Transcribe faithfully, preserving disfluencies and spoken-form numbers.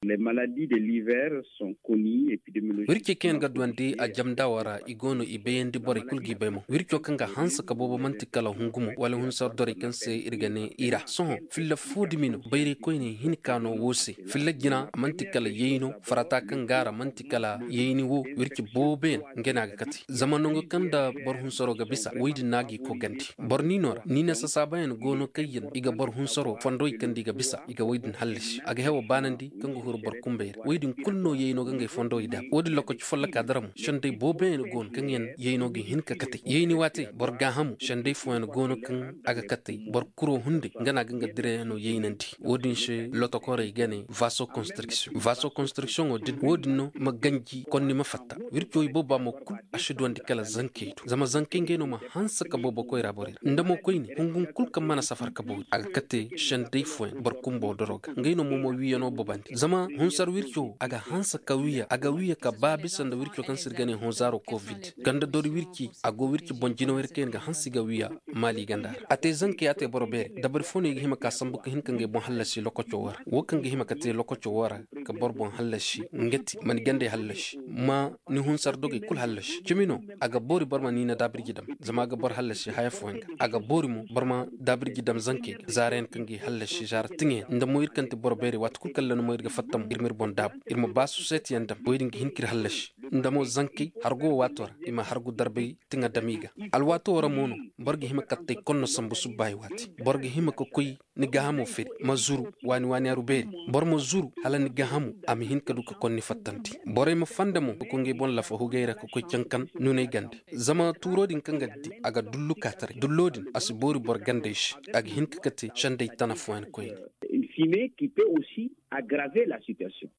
Les maladies de l'hiver sont connues épidémiologiques. Wirce kaŋ yaŋ ga duwandi a jamdaawo ra i go no i bayandi borey kulu g'i bay mo wirco kaŋ ga hanse ka boobo manti kala hungumo wala hunsar dorey kaŋ se iri ga ne i ra sohõ filla fo dumi no bayray koyne hinka no wo se. Filla jina manti kala yayno farata kaŋ gaara manti kala yayni wo wirce boobo yaŋ nga ne a ga kate zama nango kaŋ nda boro hunsaro ga bisa woy din no a g'i kogandi. Boro niino ra niina sasaabayaŋ go no kaŋ yaŋ i ga boro hunsaro fondowey kaŋ nda i ga bisa i ga woy din hallasi a ga hewo baanandi kaŋ ga huru boro kumbey ra woy din kulu no yayno ga ngey fondowey daabu wo- din lokaci folloka dara mo sendey booboyaŋ go no kaŋ yaŋ yayno ga hin ka katey yayni waatey boro gaahamu sendey fooyaŋ go no kaŋ a ga katey boro kuro hunday nga no a ga nga direyaŋo yaynandi. Wo- din se lotokorey ga ne vaso construction vaso constructiono din wo- din no ma ganji konni ma fatta wirco ibooba mo kulu a si duwandi kala zankey do zama zankey ngey no ma hanse ka boobo koyra borey ra nda mo koyne hungun kulu kaŋ mana safar ka boori a ga kate sendey fooyaŋ boro kumbo doro ga ngey no mo ma wiiyano boobandi zama hunsar wirco a ga hanse ka wiiya a ga wiiya ka ba bisa nda wirco kaŋ se iri ga ne honzaaro covid ganda dori wirci a go wirci boŋ jinawey ra kaŋ yaŋ ga hanse ga wiiya maali ganda ra a te zankey a te boro beeri dabari fo no i ga hima ka sambu ka hin ka ngey boŋ hallasi lokaco wo ra wo kaŋ ga hima ka te lokaco wo ra ka boro boŋ hallasi nga ti ma ni gandey hallasi ma ni hunsar dogey kulu hallasi cimi no a ga boori boro ma niina daabirji dam zama a ga boro hallasi haya fooyaŋ ga a ga boori mo boro ma daabirji dam zankey ga zaara yaŋ kaŋ ga i hallasi zaara tiŋa yaŋ nda mo iri kaŋ ti boro beerey waati kulu kaŋ landa mo iri ga fatta mo iri ma iri boŋ daabu iri ma ba suseeti yaŋ dam wo- din ga hin ka iri hallasi nda mo zankey hargo wo waato ra i ma hargu darbay tiŋa dam i ga alwaato wo ra mo no boro ga hima kattey konno sambu subbaayi waati boro ga hima ka koy ni gaahamo firi ma zuru waani waani aru beeri boro ma zuru hala ni gaahamo a ma hin ka du ka konni fattandi borey ma fanda mo ka koy ngey boŋ lafa hugey ra ka koy cankan nuney gande zama tuuro din kaŋ ga di a ga dullu ka taray dullo din a si boori boro gandey se a ga hin ka kate sendey tana fooyaŋ koyne. Une fumée qui peut aussi aggraver la situation.